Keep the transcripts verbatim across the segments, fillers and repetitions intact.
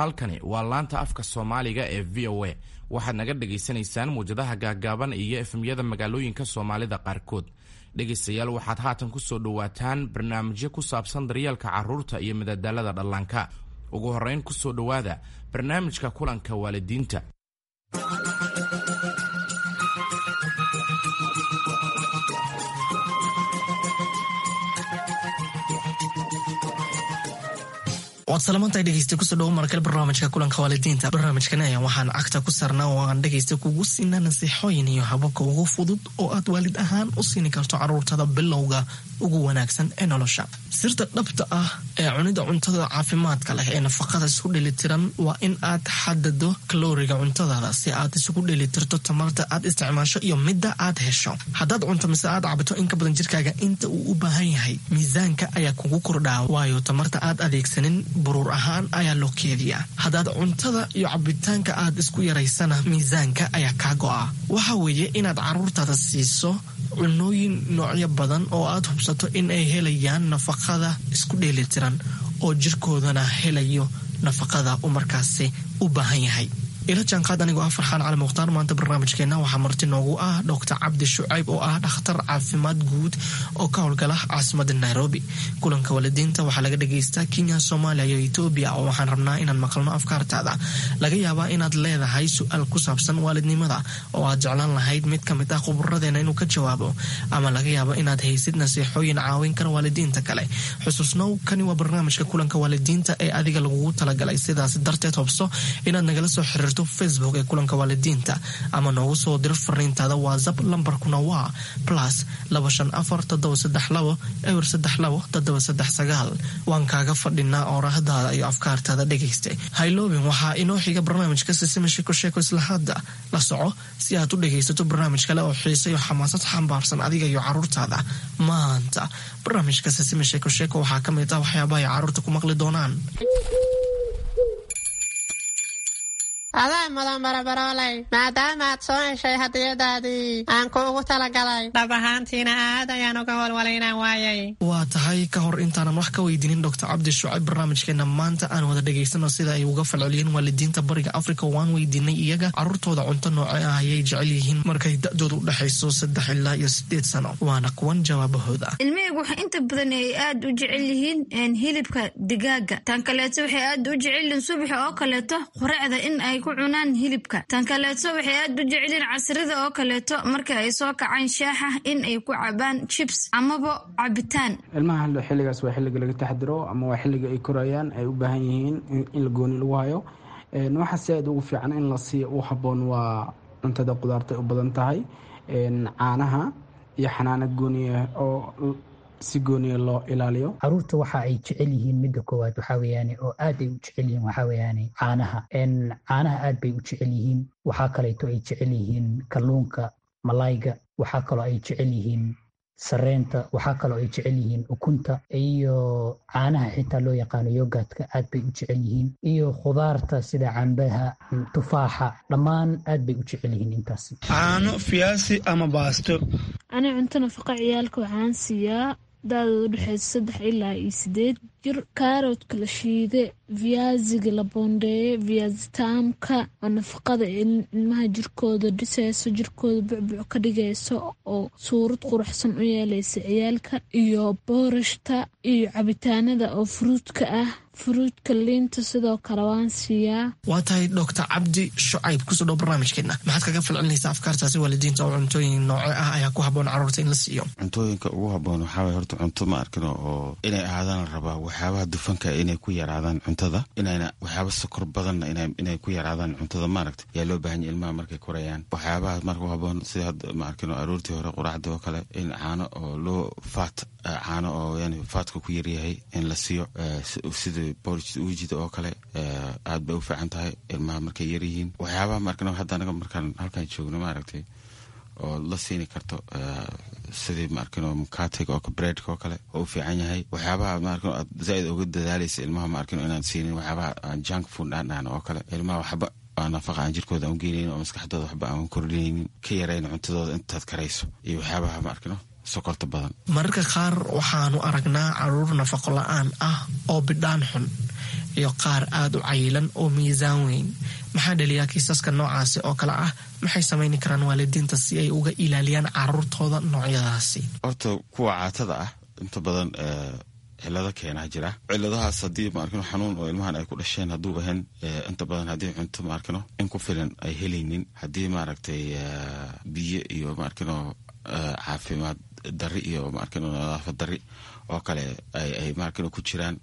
Halkani waa laanta afka Soomaaliga ee V O A. Waxaad naga dhagaysanaysaan muwjadaha gaaggaaban iyo F M-yada magaalooyinka Soomaalida qaarkood. Dhegaystayaal, waxaad haatan ku soo dhowaataan barnaamijyo ku saabsan daryeelka carruurta iyo madadaalada dhallaanka. Ugu horrayn, ku soo dhowaada barnaamijka kulanka waalidiinta. Waad salamantahay, dhegeysta. Kusoo dhawo markale barnaamijka kulanka waalidiinta. Barnaamijkan ayaan waxaan cagta ku saarnaa oo aan dhegeysta kugu siinaa nasiixooyin iyo hababka ugu fudud oo aad waalid ahaan u siini karto caruurtada bilowga ugu wanaagsan ee nolosha. Sirta dhabta ah ee cunida cuntada caafimaadka leh ee nafaqada isku dheelitiran waa in aad xadado kalooriga cuntadaada si aad isugu dheelitirto tamarta aad isticmaasho iyo midda aad hesho. Haddaad cunto mise aad cabto in ka badan jirkaaga inta uu u baahan yahay, miisaanka ayaa kugu kordhaa, waayo tamarta aad adeegsanin buruur ahaan ayaa loo keediyaa. Haddaad cuntada iyo cabitaanka aad isku yaraysana, miisaanka ayaa kaa go'a. Waxa weeye inaad caruurtaada siiso cunooyin noocyo badan oo aad hubsato in ay helayaan nafaqada isku dheelitiran oo jirkoodana helayo nafaqada uu markaasi u baahan yahay. Ila jaanqaad anigoo ah Farxaan Cali Mukhtaar. Maanta barnaamijkeena waxaa marti noogu ah Doctor Cabdi Shucayb oo ah dhakhtar caafimaad guud oo ka howlgala caasimada Nairobi. Kulanka waalidiinta waxaa laga dhagaystaa Kenya, Soomaaliya iyo Etoobiya, oo waxaan rabnaa inaan maqalno afkaartaada. Laga yaabaa inaad leedahay su-aal ku saabsan waalidnimada oo aad jeclaan lahayd mid ka mid ah khuburadeena inuu ka jawaabo, ama laga yaabo inaad haysid nasiixooyin caawin kara waalidiinta kale. Xusuusnow, kani waa barnaamijka kulanka waalidiinta ee adiga lagugu talagalay. Sidaas darteed, hobso inaad nagala soo xiriirto Facebook ee kulanka waalidiinta ama noogu soo diro fariintaada WhatsApp. Lambarkuna waa plus laba shan afar toddoba saddex labo eber saddex labo toddoba saddex sagaal. Waan kaaga fadhinaa oorahdaada iyo afkaartaada, dhegaysta. Hayloobin, waxaa inoo xiga barnaamijka Sisima Sheeko Sheeko. Isla hadda la soco si aad u dhegaysato barnaamij kale oo xiise iyo xamaasad xambaarsan adiga iyo caruurtaada. Maanta barnaamijka Sisima Sheeko Sheeko waxaa ka mid ah waxyaabaha ay caruurta ku maqli doonaan. Adaa mudan, barabarooley, maadaama aad soo heshay hadiyadaadii aan kuugu talagalay. Dhab ahaantiina aad ayaan uga walwalay inaan waayay. Waa tahay. Ka hor intaanan wax ka weydiinin Doctor Cabdi Shucayb barnaamijkeena maanta, aan wada dhegaysano sida ay uga falceliyeen waalidiinta Bariga Africa. Waan weydiinay iyaga caruurtooda cunto nooce ah ayay jecel yihiin markay da-dooda u dhexayso saddex ilaa iyo sideed sano. Waana kuwan jawaabahooda. Ilmahaygu waxay inta badan ay aad u jecel yihiin hilibka digaaga. Tan kaleeto, waxay aad u jecel yihiin subaxa oo kaleeto quraacda in ay ku cunaan hilibka. Tan kaleeto, waxay aad u jecelyihiin casrida oo kaleeto marka ay soo kacaan shaaxa in ay ku cabaan chips amaba cabitaan. Ilmaha xilligaas waa xilliga laga taxdiro ama waa xilliga ay korayaan, ay u baahan yihiin in la gooni lagu hayo. Waxa si aad ugu fiican in la siiyo u habboon waa cuntada qudaarta u badan tahay, caanaha iyo xanaano gooniya oo si gooniya loo ilaaliyo. Caruurta waxa ay jecel yihiin, midda koowaad waxaa weeyaane oo aad ay u jecel yihiin, waxaa weeyaane caanaha. Caanaha aad bay u jecel yihiin. Waxaa kaleeto ay jecel yihiin kalluunka, malayga. Waxaa kaloo ay jecel yihiin sareenta. Waxaa kaloo ay jecel yihiin ukunta iyo caanaha xitaa loo yaqaano yogurtka, aad bay u jecel yihiin, iyo khudaarta sida cambaha, tufaaxa, dhammaan aad bay u jecel yihiin intaasi. Caano, fiyaasi ama baasto. Ani cunto nafaqa ciyaalka waxaan siiyaa da-dooda udhexeysa saddex ilaa iyo sideed jir kaaroodka la shiide, viyaasiga la boondeeye, viyaasitaamka oo nafaqada ilmaha jirkooda dhiseyso, jirkooda bucbuc ka dhigayso oo suurad quruxsan u yeeleysa ciyaalka, iyo boorashta iyo cabitaanada oo fruitka ah, fruitka, liinta sidoo kale waan siiyaa. Waa tahay. Doctor Cabdi Shucayb, kusoo dhow barnaamijkeena. Maxaad kaga falcelinaysaa afkaartaasi waalidiinta oo cuntooyin nooce ah ayaa ku haboon caruurta in la siiyo? Cuntooyinka ugu haboon waxaa waye horta cunto, ma arkino, oo inay ahaadaan la rabaa waxyaabaha dufanka inay ku yaraadaan cuntada, inayna waxyaaba sokor badanna inay ku yaraadaan cuntada, maaragta, yaa loo baahan yahy ilmaha markay korayaan. Waxyaabaha marka u haboon sida hadda, ma arkino, aroortii hore quraacda oo kale in caano oo loo faat, caano oo yani fatka ku yaryahay in la siiyo, sida porridge uujida oo kale, aad bay u fiican tahay ilmaha markay yaryihiin. Waxyaabaha, ma arkino, hadda anaga markaan halkaan joogno, maaragtay, oo la siini karto sidii, ma arkino, mukatiga oo breadka oo kale oo u fiican yahay. Waxyaabaha, ma arkino, aad zaaid uga dadaalaysa ilmaha, ma arkino, inaan siinin waxyaabaha aan junk food aan dhahno oo kale. Ilmaha waxba nafaqa aan jirkooda aan u geenaynin oo maskaxdooda waxba aan kordhinaynin, ka yarayn cuntadooda intaad karayso iyo waxyaabaha, ma arkino. Sokorta badan. Mararka qaar waxaanu aragnaa caruur nafaqo la-aan ah oo bidhaan xun iyo qaar aada u cayilan oo miisaan weyn. Maxaa dhaliyaa kiisaska noocaasi oo kale ah? Maxay samayni karaan waalidiinta si ay uga ilaaliyaan caruurtooda noocyadaasi? Horta kuwa caatada ah inta badan cilado keenaa jira. Ciladahaas haddii maarkino xanuun oo ilmahan ay ku dhasheen hadduu ahayn, inta badan haddii cunto maarkino in ku filan ay helaynin, haddii maaragtay biyo iyo maarkino caafimaad dari iyo maarkino nadaafad dari oo kale ay maarkino ku jiraan,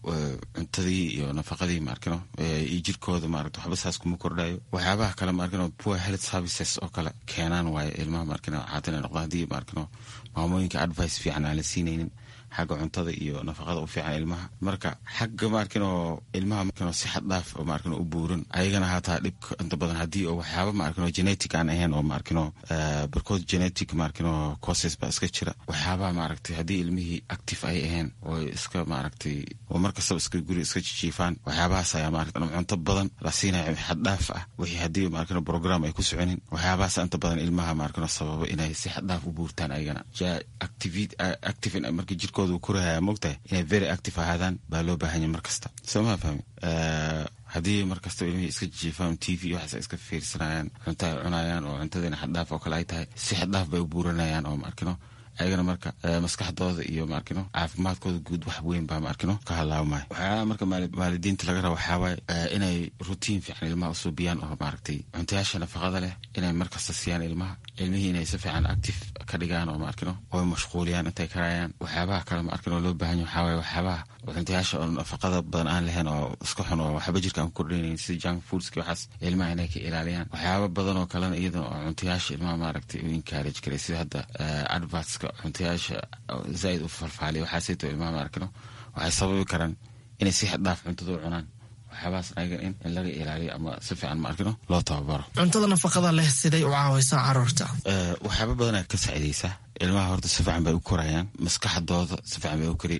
cuntadii iyo nafaqadii maarkino iyo jirkooda maaragta waxba saas kuma kordhayo. Waxyaabaha kale maarkino poor health services oo kale keenaan waaye ilmaha maarkino caatina noqda, haddii maarkino maamooyinka advice fiican aan la siinaynin xagga cuntada iyo nafaqada u fiican ilmaha. Marka xagga maarkino ilmaha maarkino si xad dhaaf oo maarkino u buuran ayagana hataa dhibka inta badan haddii oo waxyaaba maarkino genetic aan ahayn oo maarkino barkood genetic maarkino causes baa iska jira. Waxyaabaha maaragtay haddii ilmihii active ay ahayn oo iska maaragtay oo markastaba iska guri iska jijiifaan, waxyaabahaas ayaa maaragtay ama cunto badan la siinaya xad dhaaf ah, wixii haddii maarkino program ay ku soconin, waxyaabahaas inta badan ilmaha maarkino sababa inay si xad dhaaf u buurtaan ayagana. Active active marka jirkooda uu korahaya, moogtahay inay very active ahaadaan baa loo baahanya mar kasta, soo maa fahmi? Haddii mar kasta ilmihii iska jiifaan, T V waxaas ay iska fiirsanayaan, cunto ay cunayaan oo cuntadiina xaddhaaf oo kale ay tahay, si xaddhaaf bay u buuranayaan oo maarkino ayagana marka maskaxdooda iyo maarkino caafimaadkooda guud wax weyn baa maarkino ka halaabmaya. Waxyaalaha marka waalidiinta laga raba waxaa waaye inay routine fiican ilmaha usuubiyaan oo maaragtay cuntayaasha nafaqada leh inay markasta siiyaan ilmaha, ilmihii inay si fiican active ka dhigaan oo maarkino oo mashquuliyaan intay karayaan. Waxyaabaha kale maarkino loo baahan yahay waxaa waaye waxyaabaha cuntayaasha oo nafaqada badan aan lahayn oo iska xun oo waxba jirka aan ku kordhinaynin, sida junk foodski, waxaas ilmaha inay ka ilaaliyaan. Waxyaaba badan oo kalena iyadana oo cuntayaasha ilmaha maaragtay u encourage karay, sida hadda advertska cuntayaasha zaaid u falfaaliya, waxaasayto ilmaha maarkino waxay sababi karaan inay si xad dhaaf cuntada u cunaan. Waxyaabahaas ayaga in in laga ilaaliyo ama si fiican maarkino loo tababaro. Cuntada nafaqada leh siday u caawaysaa caruurta? Waxyaaba badanaa ka saacidaysa ilmaha. Horta si fiican bay u korayaan, maskaxdooda si fiican bay u kori,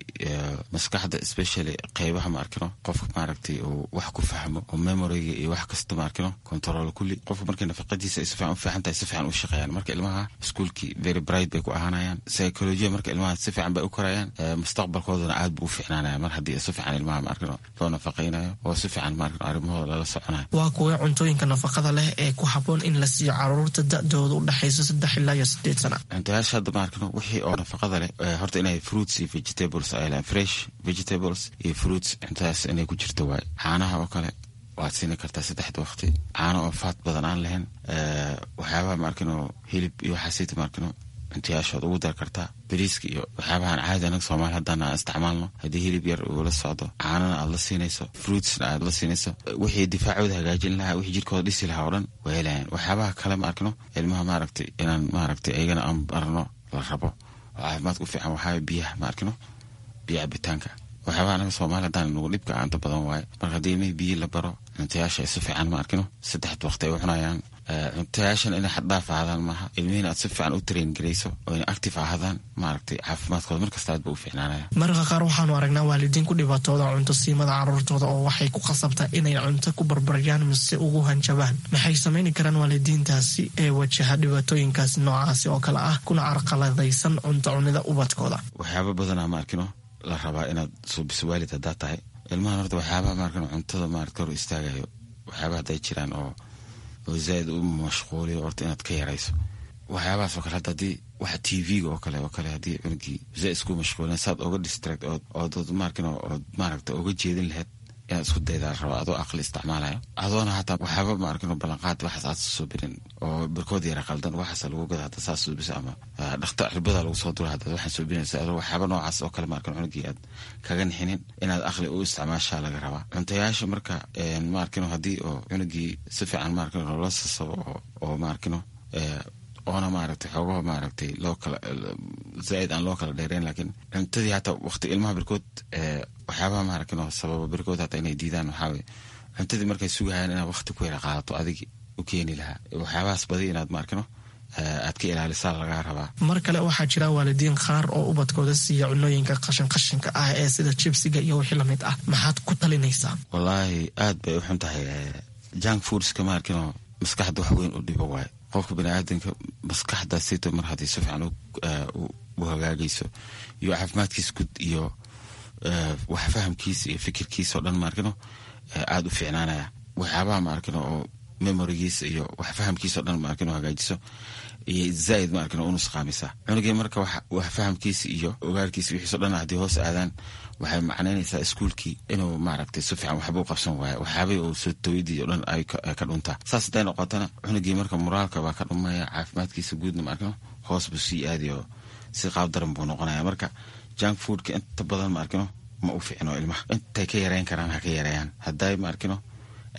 maskaxda especially qeybaha maarkino qofka maaragtay uu wax ku fahmo oo memoryga iyo wax kasta maarkino control kulli. Qofka markay nafaqadiisa ay si fiican u fiican tahay, si fiican u shaqeeyaan. Marka ilmaha iskuulkii very bright bay ku ahaanayaan, psychology marka ilmaha si fiican bay u korayaan, mustaqbalkoodana aad buu u fiicnaanaya mar haddii si fiican ilmaha maarkino loo nafaqaynayo oo si fiican maarkino arrimahooda lala soconayo. Waa kuwee cuntooyinka nafaqada leh ee ku habboon in la siiyo caruurta da-dooda u dhexayso saddex ilaa iyo sideed sana? Cuntayaasha hadda maarkino wixii oo nafaqada leh horta inay fruits iyo vegetables ay lehan, fresh vegetables iyo fruits, cuntadaas inay ku jirto waaye. Caanaha oo kale waad siini kartaa saddexda waqti, caano oo faat badan aan lahayn. Waxyaabaha maarkino hilib iyo waxaasita maarkino cuntayaashood ugu dar kartaa. Bariiska iyo waxyaabahan caadi anaga Soomaali haddana aan isticmaalno, haddii hilib yar uu la socdo, caanana aad la siinayso, fruitsna aad la siinayso, wixii difaacooda hagaajin lahaa, wixii jirkooda dhisi lahaa oo dhan waa helayaan. Waxyaabaha kale ma arkino ilmaha maaragtay inaan maaragtay ayagana aan barno la rabo oo caafimaadka u fiican waxaa biyaha ma arkino, biyo cabitaanka. Waxyaabaha anaga Soomaali haddaan nagu dhibka inta badan waaye. Marka haddii ilmihii biyi la baro, cuntayaasha ay si fiican ma arkino saddexda waqti ay u cunayaan, cuntayaashan inay xaddhaaf ahaadaan maaha, ilmihiina aad si fiican u train garayso oo inay active ahaadaan, maaragtay caafimaadkooda markasta aad ba u fiicnaanaya. Mararka qaar waxaanu aragnaa waalidiin ku dhibaatooda cunto siimada caruurtooda oo waxay ku khasabtaa inay cunto ku barbaryaan mise ugu hanjabaan. Maxay samayni karaan waalidiintaasi ee wajaha dhibaatooyinkaasi noocaasi oo kale ah kuna carqaladaysan cunto cunida ubadkooda? Waxyaaba badanaa ma arkino la rabaa inaad suubiso waalid haddaa tahay ilmahan. Horta waxyaabaha maarkino cuntada maarata hor istaagayo, waxyaabaha hadday jiraan oo oo zaaid u mashquuliyo, horta inaad ka yarayso waxyaabahaas oo kale. Hadda haddii waxa T V-ga oo kale oo kale haddii cunugii zaaid isku mashquulin, saad oga distract ood ood maarkino ood maaragta oga jeedin lahayd inaad isku daydaa la rabaa, adoo aqli isticmaalayo, adoona hataa waxyaaba maarkino ballanqaad waxaas aad suubinin oo barkood yara qaldan waxaas lagu gada hadda saas suubisa ama dhakta cirbada lagu soo dura hadda waxaan suubinaysa, adoo waxyaaba noocaas oo kale maarkino cunugii aad kaga nixinin, inaad aqli u isticmaashaa laga rabaa cuntayaasha. Marka maarkino haddii oo cunugii si fiican maarkino loola sasabo oo oo maarkino oona maaragtay xoogaha maaragtay loo kala zaaid aan loo kala dheereyn, laakiin cuntadii hataa waqti ilmaha barkood waxyaabaha maaragtay sababa barkood hataa inay diidaan waxaa waye cuntadii markay sugayaan inaad waqti ku yara qaadato adig u keeni lahaa. Waxyaabahaas badi inaad maarkino aad ka ilaalisaa lagaa rabaa. Mar kale waxaa jira waalidiin qaar oo ubadkooda siiya cunooyinka qashin qashinka ah ee sida jibsiga iyo wixii lamid ah. Maxaad ku talinaysaa? Wallaahi aad bay u xun tahay junk foodska, maarkino maskaxda wax weyn u dhibo waaye. Qofka baniaadanka maskaxda sito mar haddii si fiican u hagaagayso iyo caafimaadkiisa guud iyo wax fahamkiisa iyo fikirkiisa oo dhan maarkino aada u fiicnaanaya. Waxyaabaha maarkino oo memorigiisa iyo wax fahamkiisa o dhan maarkino hagaajiso iyo zaaid maarkino u nusqaamisa cunugii. Marka wax fahamkiisa iyo ogaalkiisa wixiiso dhan haddii hoos aadaan, waxay macnaynaysaa iskuulkii inuu maaragtay si fiican waxba u qabsan waayo, waxyaabahii uu soo tawidii o dhan ay ka dhuntaa. Saas hadday noqotana, cunugii marka moraalka baa ka dhumaya, caafimaadkiisa guudna maarkino hoos buu sii aadayo, si qaab daran buu noqonaya. Marka junk foodka inta badan maarkino ma u fiicno ilmaha. Intay ka yareyn karaan ha ka yareeyaan, hadday maarkino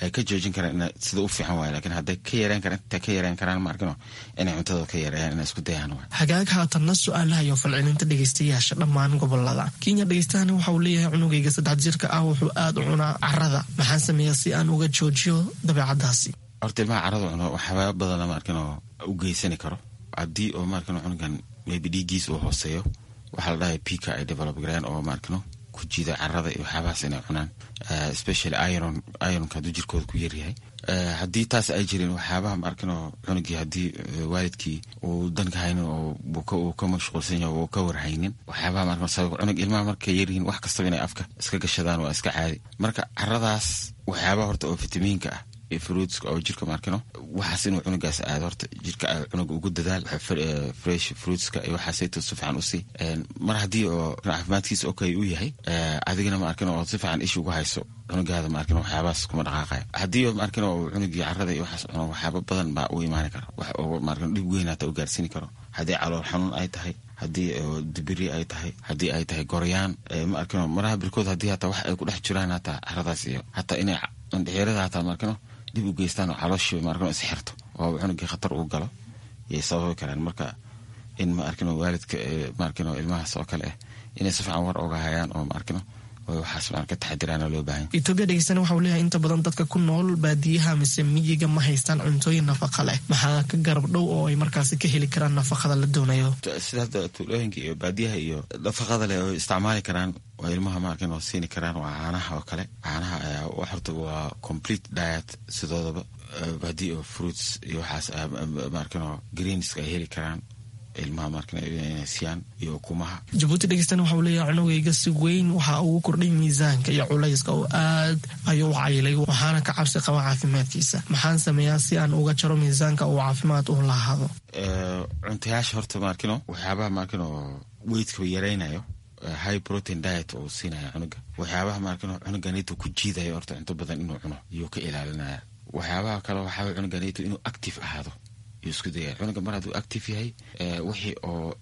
ay ka joojin karaan ina sida u fiican waay, lakiin hadday ka yareyn karaan, intay ka yareyn karaan maarkino inay cuntada ka yareeyaan, inay isku dayaan waay. Hagaag, haatanna su-aalaha iyo falcelinta dhegeystayaasha dhammaan gobolada Kenya. Dhegeystahani waxa uu leeyahay: cunugayga saddex jirka ah wuxuu aada u cunaa carada, maxaan sameeyaa si aan uga joojiyo dabeecadaasi? Horta ilmaha carada cuno waxyaaba badana maarkino u geysani karo. Haddii oo maarkino cunugan maybe dhiiggiis uu hooseeyo, waxaa la dhahay pika ay develop gareen oo maarkino ku jiida carada iyo waxyaabahaas inay cunaan, especially iron, ironka hadduu jirkooda ku yaryahay. Haddii taas ay jirin, waxyaabaha maarkino cunugii haddii waalidkii uu danka haynin oo uu ka mashquulsan yahay, uu ka warhaynin waxyaabaha maarkino sabab cunug, ilmaha markay yaryihiin wax kastaba inay afka iska gashadaan waa iska caadi. Marka caradaas waxyaabaha horta oo fitamiinka ah iyo fruitska oo jirka maarkino waxaas inuu cunugaas aado, horta jirka cunuga ugu dadaal fresh fruitska iyo waxaasayto si fiican usii. Mar haddii oo caafimaadkiisa okay uu yahay, adigana maarkino oo si fiican isha ugu hayso cunugaada, maarkino waxyaabahaas kuma dhaqaaqaya. Haddii oo maarkino uu cunugii carada iyo waxaas cuno, waxyaaba badan baa u imaani kara, wax oo maarkino dhib weyn hata u gaarsiini karo. Haddii calool xanuun ay tahay, haddii dibiri ay tahay, haddii ay tahay goryaan maarkino maraha birkood, haddii hataa wax ay ku dhex jiraan hataa caradaas iyo hataa inay indhixirada hataa maarkino dib u geystaan oo calooshii maarkino isxirto oo cunugii khatar uu galo yay sababi karaan. Marka in maarkino waalidka maarkino ilmahaas oo kale ah inay si fiican war oga hayaan oo maarkino waxaas maan ka taxadiraana loo baahan. Etoobiya dhegeystana waxa uu leeyahay: inta badan dadka ku nool baadiyaha mise miyiga ma haystaan cuntooyin nafaqa leh, maxaa ka garab dhow oo ay markaasi ka heli karaan nafaqada la doonayo? Sida hadda tuulooyinka iyo baadiyaha iyo nafaqada leh oo isticmaali karaan oo ilmaha maarkin oo siini karaan waa caanaha oo kale. Caanaha ayaa horta waa complete diet sidoodaba. Haddii oo fruits iyo waxaas maarkin oo greenska ay heli karaan ilmaha markan inay siiyaan iyo ukumaha. Jabuuti dhegeystana waxa uu leeyahay: cunugayga si weyn waxa ugu kordhay miisaanka iyo culayska oo aad ayuu u cayilay, waxaana ka cabsi qaba caafimaadkiisa. Maxaan sameeyaa si aan uga jaro miisaanka uu caafimaad u lahaado? Cuntayaasha horta maarkino waxyaabaha maarkino weightka yaraynayo, high protein diet oo siinaya cunuga, waxyaabaha maarkino cunuganito ku jiidayo horta cunto badan inuu cuno iyuu ka ilaalinaya. Waxyaabaha kale waxaa cunuganito inuu active ahaado yuu isku dayaya. Cunuga mar hadduu active yahay, wixii oo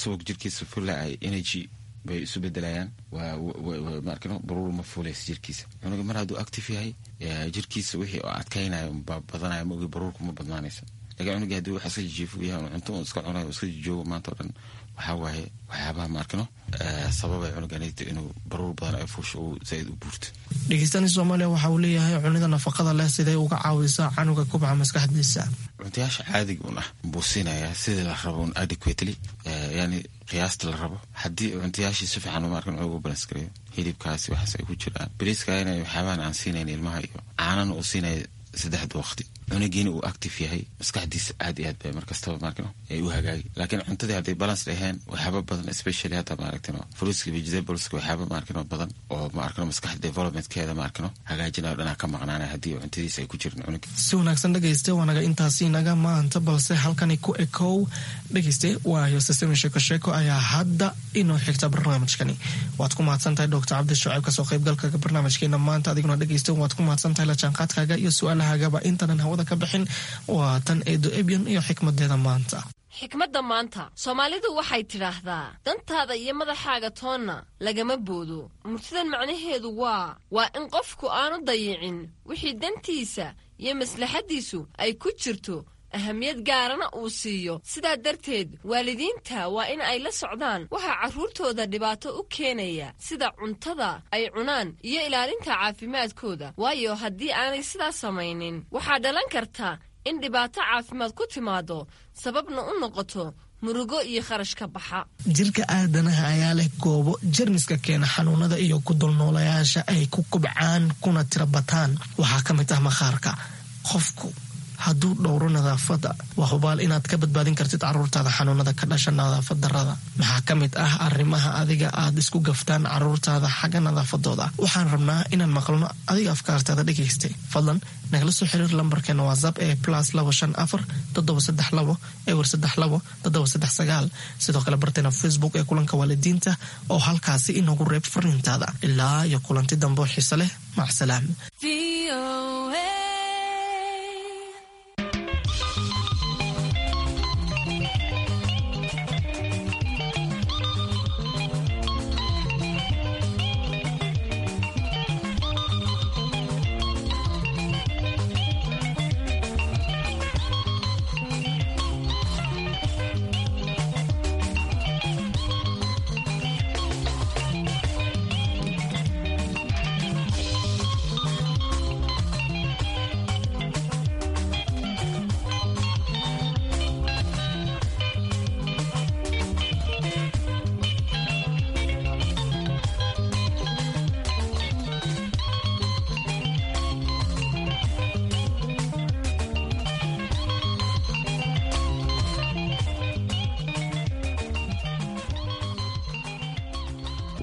subag jirkiisa fula ay energy bay isu bedelayaan, maarkino baruur ma fuulaysa jirkiisa. Cunuga mar hadduu active yahay, jirkiisa wixii oo adkaynaya unbaa badanaya, maogi baruurku ma badnaanaysa. Lakin cunugii haddii wax iska jijiifo yahay, cunto un iska cunayo, iska jijoogo maanta o dhan, waxaa waaye waxyaabaha maarkino sababay cunuganito inuu baruur badan ay fuusho, uu zaaid u buurto. Dhegeystani Soomaaliya waxa uu leeyahay: cunida nafaqada leh sidee uga caawisaa canuga kubca maskaxdiisa? Cuntayaasha caadiga un ah buu siinayaa sidii la rabo un, adequately, yani qiyaasta la rabo. Haddii cuntayaashii si fiican maarkan ugu balance gareeyo, hilibkaasi waxaas ay ku jiraan, bariiska inay waxyaabahan aan siinayn ilmaha iyo caanana uu siinaya saddexda waqti, cunugiina uu active yahay, maskaxdiisa aad iyo aad bay markastaba maarkino ay u hagaagi. Laakiin cuntadii hadday balance dhaheen, waxyaaba badan, especially hadda maaragtino fruitska, vegetables-ka, waxyaaba maarkino badan oo maarkino maskaxda developmentkeeda maarkino hagaajinayo dhanaa ka maqnaanaya haddii cuntadiisa ay ku jirin cunuga. Si wanaagsan dhegayste, waanaga intaasi naga maanta, balse halkani ku ekow dhegayste, waayo sisemi sheeko sheeko ayaa hadda inoo xigta barnaamijkani. Waad ku mahadsan tahay Doctor Cabdi Shucayb kasoo qaybgalka barnaamijkeena maanta. Adiguna dhegayste waad ku mahadsan tahay la jaanqaadkaaga iyo su-aalahagaba. Intanan hawada ka bixin, waa tan Eedo Ebyan iyo xikmadeeda maanta. Xikmadda maanta, Soomaalidu waxay tidhaahdaa: dantaada iyo madaxaaga toonna lagama boodo. Murtidan macnaheedu waa waa in qofku aanu dayicin wixii dantiisa iyo maslaxaddiisu ay ku jirto, ahamiyad gaarana uu siiyo. Sidaa darteed waalidiinta waa in ay la socdaan waxaa carruurtooda dhibaato u keenaya, sida cuntada ay cunaan iyo ilaalinta caafimaadkooda, waayo haddii aanay sidaas samaynin waxaa dhalan karta in dhibaato caafimaad ku timaado, sababna u noqoto murugo iyo kharash ka baxa. Jirka aadanaha ayaa leh goobo jermiska keena xanuunada iyo ku dulnoolayaasha ay ku kubcaan kuna tira bataan. Waxaa ka mid ah maqaarka. Qofku hadduu dhowro nadaafadda, waa hubaal inaad ka badbaadin kartid caruurtaada xanuunada ka dhasha nadaafad darrada. Maxaa ka mid ah arrimaha adiga aad isku gaftaan caruurtaada xagga nadaafadooda? Waxaan rabnaa inaan maqalno adiga afkaartaada dhegaystay. Fadlan nagala soo xiriir lambarkeena WhatsApp ee plus labo shan afar toddoba saddex labo ewer saddex labo toddoba saddex sagaal. Sidoo kale barteena Facebook ee Kulanka Waalidiinta oo halkaasi inoogu reeb fariintaada. Ilaa iyo kulanti dambe xiise leh, macsalaam.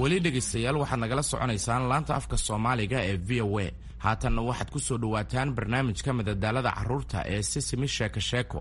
Weli dhegaystayaal, waxaad nagala soconaysaan laanta afka Soomaaliga ee V O A. Haatanna waxaad ku soo dhowaataan barnaamijka madadaalada carruurta ee Sisimi Sheeko Sheeko.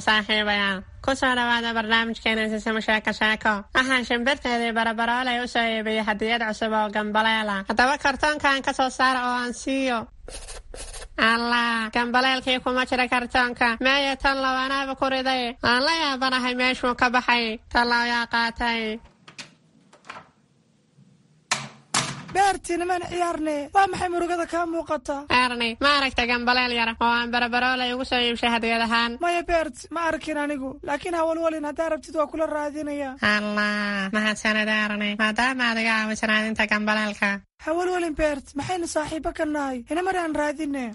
Saaxiibayaal, kusoo dhawaada barnaamijkeena Sisimo Sheeko Sheeko. Waxaan shimbirteedii Barabarooley u soo iibiyey hadiyad cusub oo gambaleela. Haddaba kartoonkan ka soo saara oo aan siiyo. Allah, gambaleelkii kuma jira kartoonka. Meeya tallow, anaaba ku riday. Aan la yaabanahay meeshuu ka baxay. Tallow yaa qaatay? Beerti, nimaan ciyaarne, waa maxay murugada kaa muuqata? Erni, ma aragta gambaleel yar oo aan Barabarooley ugu soo iibshay hadiyad ahaan? Maya Beert, ma arkin anigu, laakiin hawalwalin, haddaa rabtid waa kula raadinaya. Allah, mahadsanid Erni, maadaama aad iga caawiso raadinta gambaleelka. Hawalwalin Beert, maxaynu saaxiibo ka nahay? Inamar aan raadine.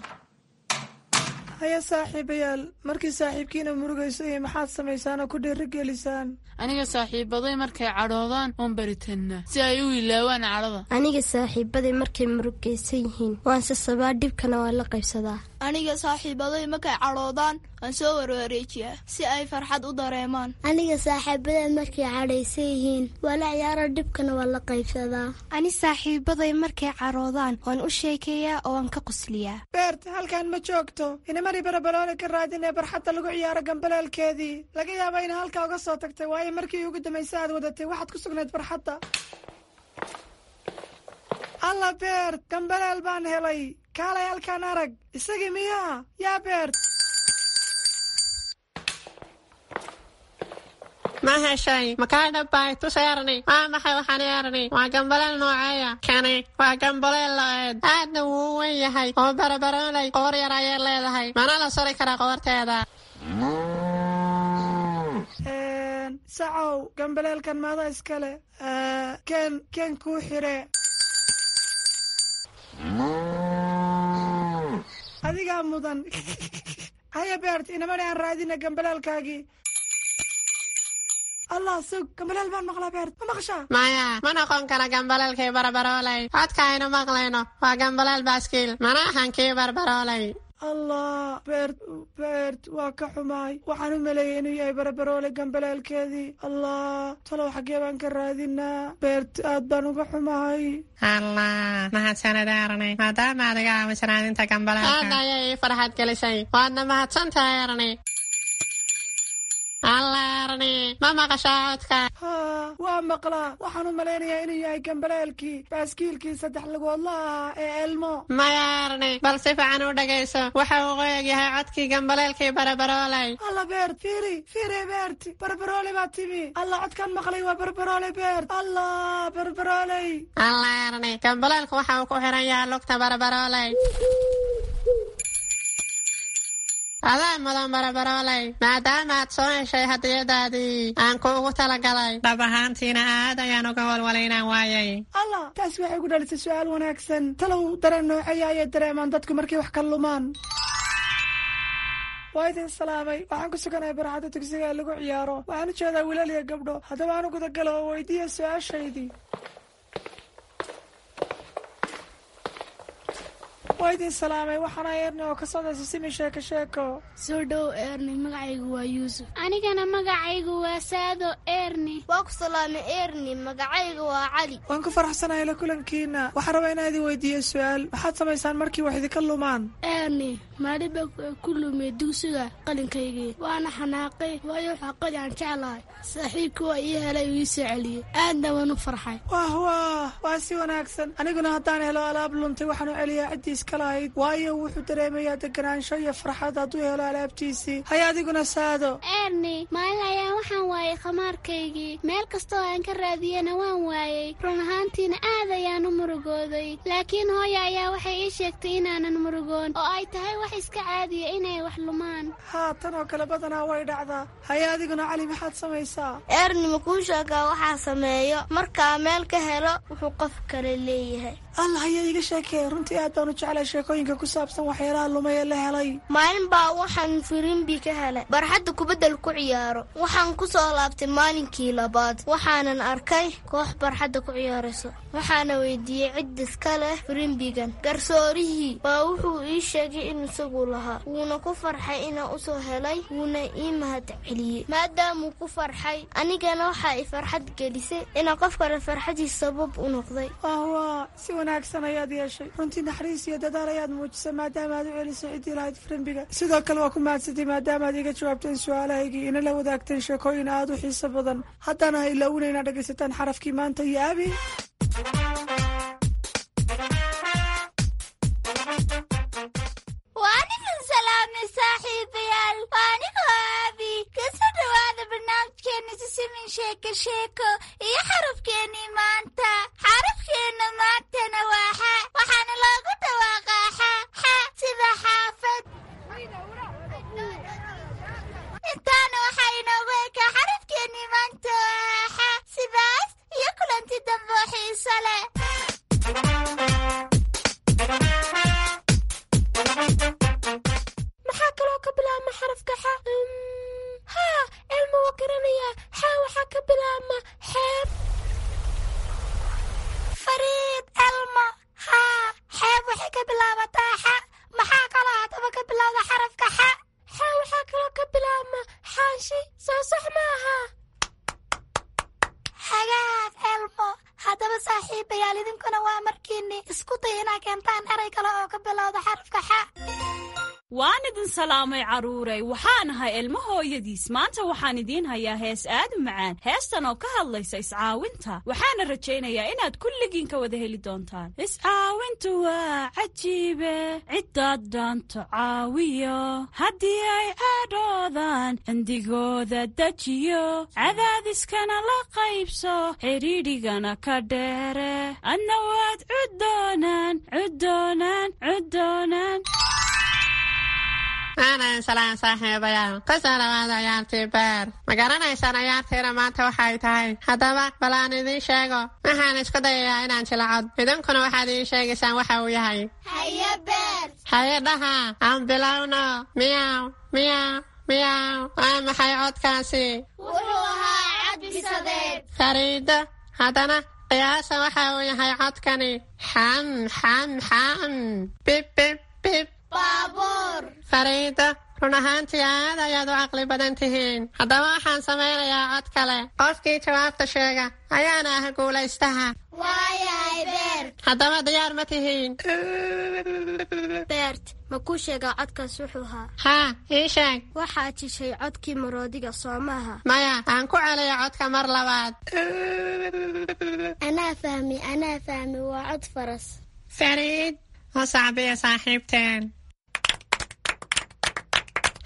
Haya saaxiibayaal, markii saaxiibkiina murugayso iyo maxaad samaysaan oo ku dhiirigelisaan? Aniga saaxiibaday markay cadhoodaan oon baritannaa si ay u ilaawaan cadhada. Aniga saaxiibaday markay murugaysan yihiin waan sasabaa, dhibkana waan la qaybsadaa. Aniga saaxiibaday markay cadhoodaan waan soo warwareejiyaa si ay farxad u dareemaan. Aniga saaxiibaday markay cadhaysan yihiin waa la ciyaara, dhibkana waan la qaybsadaa. Ani saaxiibaday markay cadhoodaan waan u sheekeeyaa oo waan ka qosliyaa. Beert, halkan ma joogto. Inamari Barabaloole ka raadin ee barxadda lagu ciyaaro gambaleelkeedii. Laga yaaba ina halkaa uga soo tagtay, waayo markii ugu dambaysa aad wadatay waxaad ku sugnayd barxadda. Alla Beert, gambaleel baan helay. Kaalay halkaan arag. Isagii miyaa? Yaa Beert? Ma heshay? Makaa dhabbay? Tus Erni. Waa maxay waxaan Erni? Waa gambaleel nooceeya? Kani waa gambaleel lo'eed, aadna wuu u weyn yahay oo Barabarooley qoor yar ayay leedahay, mana la suri karaa qoorteeda. Sacow, gambaleelkan maada iskale? Ken ken kuu xire. Adigaa mudan. Haya Beert, inamani aan raadina gambaleelkaagii. Allah, sug, gambaleel baan maqlaa. Beert, ma maqashaa? Maya, ma noqon kara gambaleelkii Barabarooley. Codka aynu maqlayno waa gambaleel baaskiil, mana ahan kii Barbarooley. Allah Beert, Beert, waa ka xumaay. Waxaan u maleeyay inuu yahay Barabaroole gambaleelkeedii. Allah, talow xaggee baan ka raadinaa? Beert, aad baan uga xumahay. Allah, mahadsanid Erni, maadaama aad iga caawiso raadinta gambaleelka. Aad ayay ii farxad gelisay, waadna mahadsan tahay Erni. Allah Erni, ma maqashaa codka? Haa, waa maqlaa. Waxaan u malaynayaa inuu yahay gambaleelkii baaskiilkii saddex lugoodla ahaa ee Elmo. Maya Erni, bal si fiican u dhegayso. Waxa uu qoyag yahay codkii gambaleelkii Barabarooley. Alla Beert, fiiri fiiri Beert, Barabarooley baa timi. Allah, codkaan maqlay waa Barabarooley. Beert, Allah, Barabarooley. Allah Erni, gambaleelku waxa uu ku xiran yahay lugta Barabarooley. Adaa mudan barabarooley, maadaama aad soo heshay hadiyadaadii aan kuugu talagalay. Dhab ahaantiina aad ayaan uga walwalay inaan waayay. Allah, taasi waxay ku dhalisay su'aal wanaagsan. Talow dareen nooceeya ayay dareemaan dadku markay wax ka lumaan? Waa idin salaamay. Waxaan ku suganahay barxadda dugsiga ee lagu ciyaaro. Waxaan u jeedaa wiilal iyo gabdho. Haddaba aan u gudagalo oo weydiiya su-aashaydii. Waa idin salaamay. Waxaana Eerni oo ka socda Sisimi Sheeko Sheeko. Soo dhow Eerni, magacaygu waa Yuusuf. Anigana magacaygu waa Saado Eerni. Waa ku salaamay Eerni, magacaygu waa Cali. Waan ku faraxsanahay la kulankiina. Waxaan rabaa inaan idin weydiiyo su-aal. Maxaad samaysaan markii wax idinka lumaan? Eerni, maalin baa ku lumay dugsiga qalinkaygii, waana xanaaqay, waayo waxaa qali aan jeclahay. Saaxiibkii waa ii helay oo ii soo celiyey, aadna waan u farxay. Wah wah, waa si wanaagsan. Aniguna haddaan helo alaab luntay, waxaan u celiyaa ciddii iska lahayd, waayo wuxuu dareemayaa deganaansho iyo farxad hadduu helo alaabtiisii. Hay adiguna Saado. Eerni, maalin ayaan waxaan waayay khamaarkaygii. Meel kastoo aan ka raadiyena waan waayey. Run ahaantiina aad ayaan u murugooday, laakiin hooya ayaa waxay ii sheegtay inaanan murugoon oo ay tahay wax iska caadiya inay wax lumaan. Haa, tan oo kale badanaa way dhacdaa. Haye adiguna Cali, maxaad samaysaa? Eerni, ma kuu sheegaa waxaa sameeyo markaa meel ka helo wuxuu qof kale leeyahay? Allah, ayaa iiga sheekee. Runtii aad baan u jeclay sheekooyinka ku saabsan waxyaalaha lumay ee la helay. Maalin baa waxaan firimbi ka helay barxadda kubaddal ku ciyaaro. Waxaan ku soo laabtay maalinkii labaad, waxaanan arkay koox barxadda ku ciyaarayso. Waxaana weydiiyey cid iska leh firimbigan. Garsoorihii baa wuxuu ii sheegay in isagu lahaa, wuuna ku farxay inaan usoo helay, wuuna ii mahad celiyey. Maadaamuu ku farxay, anigana waxaa i farxad gelisay inaan qof kale farxadiis sabab u noqday. Wah, si wanaagsan ayaad yeeshay. Runtii naxariis iyo dadaal ayaad muujisay maadaama aad u celisay ciddii lahayd firimbiga. Sidoo kale waa ku mahadsantay maadaama aad iga jawaabteen su-aalahaygii, ina la wadaagteen sheekooyin aad u xiiso badan. Haddana ha ilaawina inaad dhegaysataan xarafkii maanta iyo Abi. Waan idin salaamay saaxiibayaal, waa anigoo Aabi. Kasoo dhowaada barnaamijkeena Sisimin Sheeko Sheeko iyo xarafkeenii maanta. Xarafkeenna maantana waa xa, waxaana loogu dhawaaqaa xa xa sida xaafad. Intaana waxaa inoogu ekaa xarafkeenii maanta oo ah xa. Sidaas iyo kulanti dambe oo xiiso leh. Maxaa kaloo ka bilaabma xarafka xa? Haa, Elma waa garanayaa. Xa waxaa ka bilaabma xeeb. Fariid, Elma, haa, xeeb waxay ka bilaabataa xa. Maxaa kaloo haddaba ka bilowda xarafka xa? Xa waxaa kaloo ka bilaabma xaashi, soo sax maaha? Hagaag Elmo. Haddaba saaxiibayaal, idinkuna waa markiinni isku day inaa keentaan eray kale oo ka bilowda xarafka xa. Waan idin salaamay carruuray. Waxaan ahay Ilmo hooyadiis. Maanta waxaan idiin hayaa hees aad u macaan, heestan oo ka hadlaysa iscaawinta. Waxaana rajaynayaa inaad kulligiin ka wada heli doontaan. Iscaawintu waa cajiibe, ciddaad dhaanto caawiyo, haddii ay cadhoodaan cindigooda dejiyo, cadaadiskana la qaybso, xidhiidhigana ka dheere, adna waad cuddoonaan cuddoonaan cuddoonaan. Aanan salaan saaxiibayaal, kusoo dhawaada ciyaartii beer. Ma garanaysaan ciyaartiina maanta waxay tahay? Haddaba bal aan idiin sheego. Waxaan isku dayayaa inaan jilacod, idinkuna waxaad ii sheegaysaan waxa uu yahay. Haye Beer. Haye dhaha, aan bilowno. Miyaw miyaw miyaw, waa maxay codkaasi? Wuxuu ahaa cad bisadeed. Fariido, haddana qiyaasa waxa uu yahay codkani. Xam xam xam, bib bib bib. Baabuur. Fariido, run ahaantii aad ayaad u caqli badan tihiin. Haddaba waxaan samaynayaa cod kale. Qofkii jawaabta sheega ayaana ah guulaystaha. Waayahay Beer. Haddaba diyaar ma tihiin? Beert, ma kuu sheegaa codkaas wuxuu ahaa? Haa, ii sheeg. Waxaad jishay codkii maroodiga, soo maaha? Maya, aan ku celiyo codka mar labaad. Anaa fahmi, anaa fahmi, waa cod faras. Fariid, u sacbiya saaxiibteen.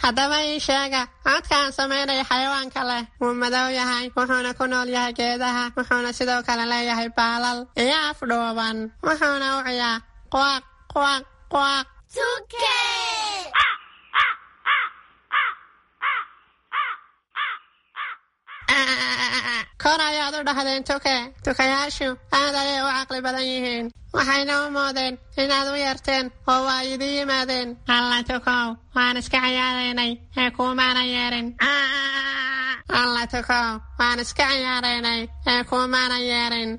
Haddaba ii sheega codka aan samaynaya xayawaanka leh. Wuu madow yahay, wuxuuna ku nool yahay geedaha, wuxuuna sidoo kale leeyahay baalal iyo af dhuuban, wuxuuna u ciyaa quaq quaq quaq. Tuke. Kor ayaad u dhahdeen tuke. Tukayaashu aad ayay u caqli badan yihiin, waxayna u moodeen inaad u yeerteen oo waa idin yimaadeen. Alla tukow, waan iska ciyaaraynay ee kuumaana yeerin. Alla tukow, waan iska ciyaaraynay ee kuumaana yeerin.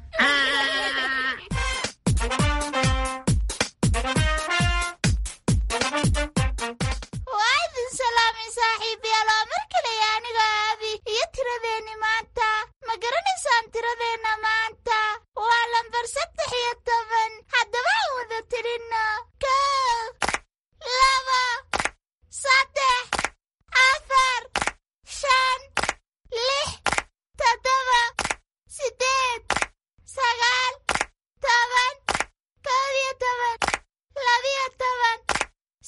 Waa idin salaamay saaxiibayaal, oo mar kaleya aniga Aabi iyo tiradeenni maanta. Ma garanaysaan tiradeenna maanta? Waa lambar saddex iyo toban. Haddaba aan wada tirinno: kow, laba, saddex, afar, shan, lix, toddoba, siddeed, sagaal, toban, kow iyo toban, labiyo toban,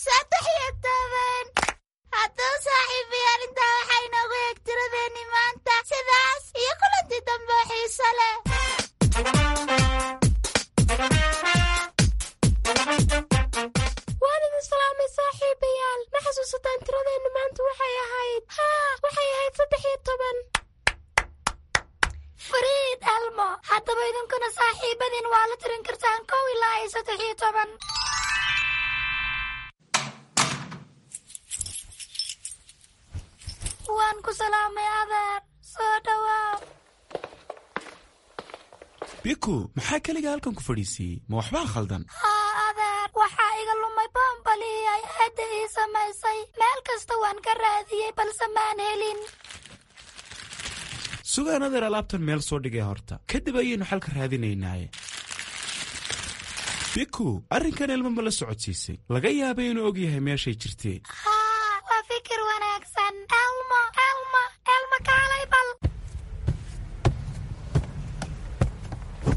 saddex iyo toban. Haddaba saaxiibayaal, intaa waxaa inoogu eeg tiradeenni maanta. Sidaas iyo kulantii dambe oo xiiso leh. Waan idin salaamay saaxiibayaal. Ma xasuusataan tiradeenna maanta waxay ahayd? Haa, waxay ahayd saddex iyo toban. Fariid Elmo, haddaba idinkuna saaxiibadiin waa la tirin kartaan kow ilaa iyo saddex iyo toban. Waan ku salaamay adeer, soo dhowaa. Biku, maxaa keliga halkan ku fadhiisiiyey? Ma waxbaa khaldan? Haa adeer, waxaa iga lumay boombalihii ay aadda ii samaysay. Meel kasta waan ka raadiyey balse maan helin. Sugaan adeer, alaabtan meel soo dhigay horta, kadib ayaynu xalka raadinaynaaye. Biku, arrinkan Elmo ma la socodsiisay? Laga yaabay inuu og yahay meeshay jirtee. Haa, waa fikir wanaagsan. Elmo, Elmo, Elmo, kaalay bal.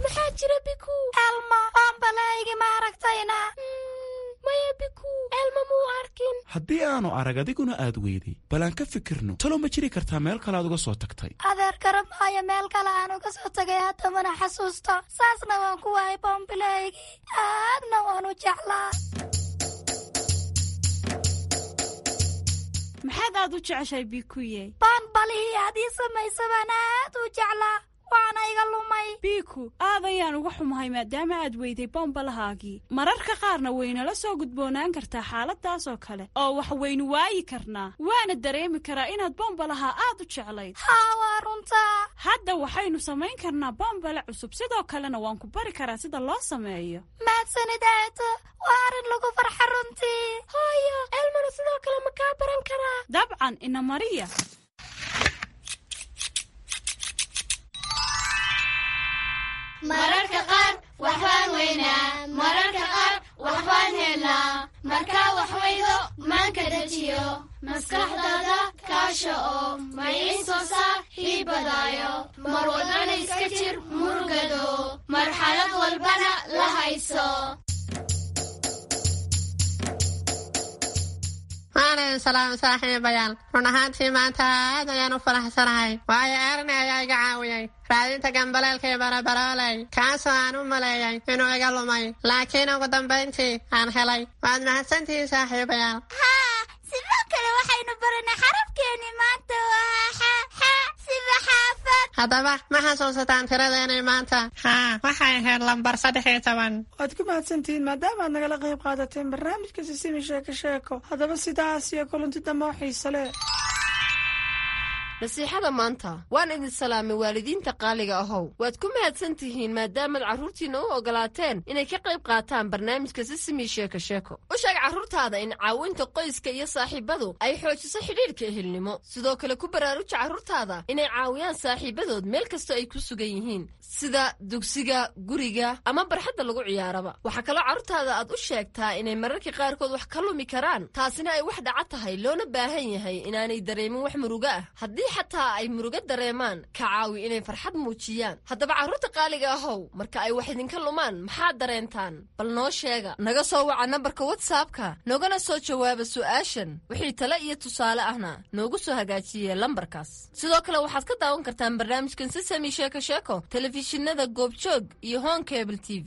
Maxaa jira Biku? Elmo, boombaleygi ma aragtayna? Maya Biku, Elmo muu arkin. Haddii aanu arag adiguna aad weyday, bal aan ka fikirno. Talo ma jiri kartaa meel kale aad uga soo tagtay? Adeer, garab maayo meel kale aan uga soo tagay, haddamana xasuusto. Saasna waan ku waayay boombileygii, aadna waan u jeclaa. Maxaad aad u jeceshahay Bikuye? Boonbalihii aad ii samaysa baan aad u jeclaa, waana iga lumay. Biku, aad ayaan uga xumahay maadaama aad weyday bombalahaagii. Mararka qaarna waynala soo gudboonaan kartaa xaaladaas oo kale, oo wax waynu waayi karnaa. Waana dareemi karaa inaad bombalaha aad u jeclayd. Haa, waa runtaa. Hadda waxaynu samayn karnaa bombale cusub, sidoo kalena waan ku bari karaa sida loo sameeyo. Mahadsanid aato, waa arrin lagu farxa runtii. Hooyo, Elmona sidoo kale ma kaa baran karaa? Dabcan, ina mariya. Mararka qaar waxbaan weynaa, mararka qaar waxbaan helnaa. Markaa wax weydo maanka dejiyo, maskaxdaada kaasha oo maciin soo saar hiibadaayo. Mar walbana iska jir murugado, marxalad walbana la hayso. Waan idin salaamay saaxiibayaal. Run ahaantii maanta aad ayaan u faraxsanahay, waayo Erni ayaa iga caawiyey raadinta gambaleelkii barabarooley, kaasoo aan u maleeyay inuu iga lumay, laakiin ugu dambayntii aan helay. Waad mahadsantihiin saaxiibayaal. Haa, sidoo kale waxaynu baranay xarafkeenni maanta waa xa, xa sida xaafad. Haddaba ma xasuusataan tiradeenay maanta? Haa, waxay ahayd lambar saddex iyo toban. Waad ku mahadsantihiin maadaama aad nagala qayb qaadateen barnaamijka Sisimi Sheeko Sheeko. Haddaba sidaas iyo kulanti dambe oo xiise leh. Nasiixada maanta. Waan idin salaamay waalidiinta qaaliga ahow. Waad ku mahadsan tihiin maadaamaad carruurtiinna u ogolaateen inay ka qayb qaataan barnaamijka Sisimi Sheeko Sheeko. U sheeg carruurtaada in caawinta qoyska iyo saaxiibadu ay xoojiso xidhiidhka ehelnimo. Sidoo kale ku baraaruja carruurtaada inay caawiyaan saaxiibadood meel kastoo ay ku sugan yihiin, sida dugsiga, guriga ama barxadda lagu ciyaaraba. Waxaa kaloo carruurtaada aad u sheegtaa inay mararka qaarkood wax ka lumi karaan, taasina ay wax dhaca tahay, loona baahan yahay inaanay dareemin wax murugo ah. Haddii xataa ay murugo dareemaan, ka caawi inay farxad muujiyaan. Haddaba carruurta qaaliga ahow, marka ay wax idinka lumaan maxaad dareentaan? Bal noo sheega. Naga soo waca nambarka WhatsAppka, noogana soo jawaaba su'aashan. Wixii tale iyo tusaale ahna noogu soo hagaajiye lambarkaas. Sidoo kale waxaad ka daawan kartaan barnaamijkan Sisami Sheeko Sheeko telefishinada Goobjoog iyo Hon Cable T V.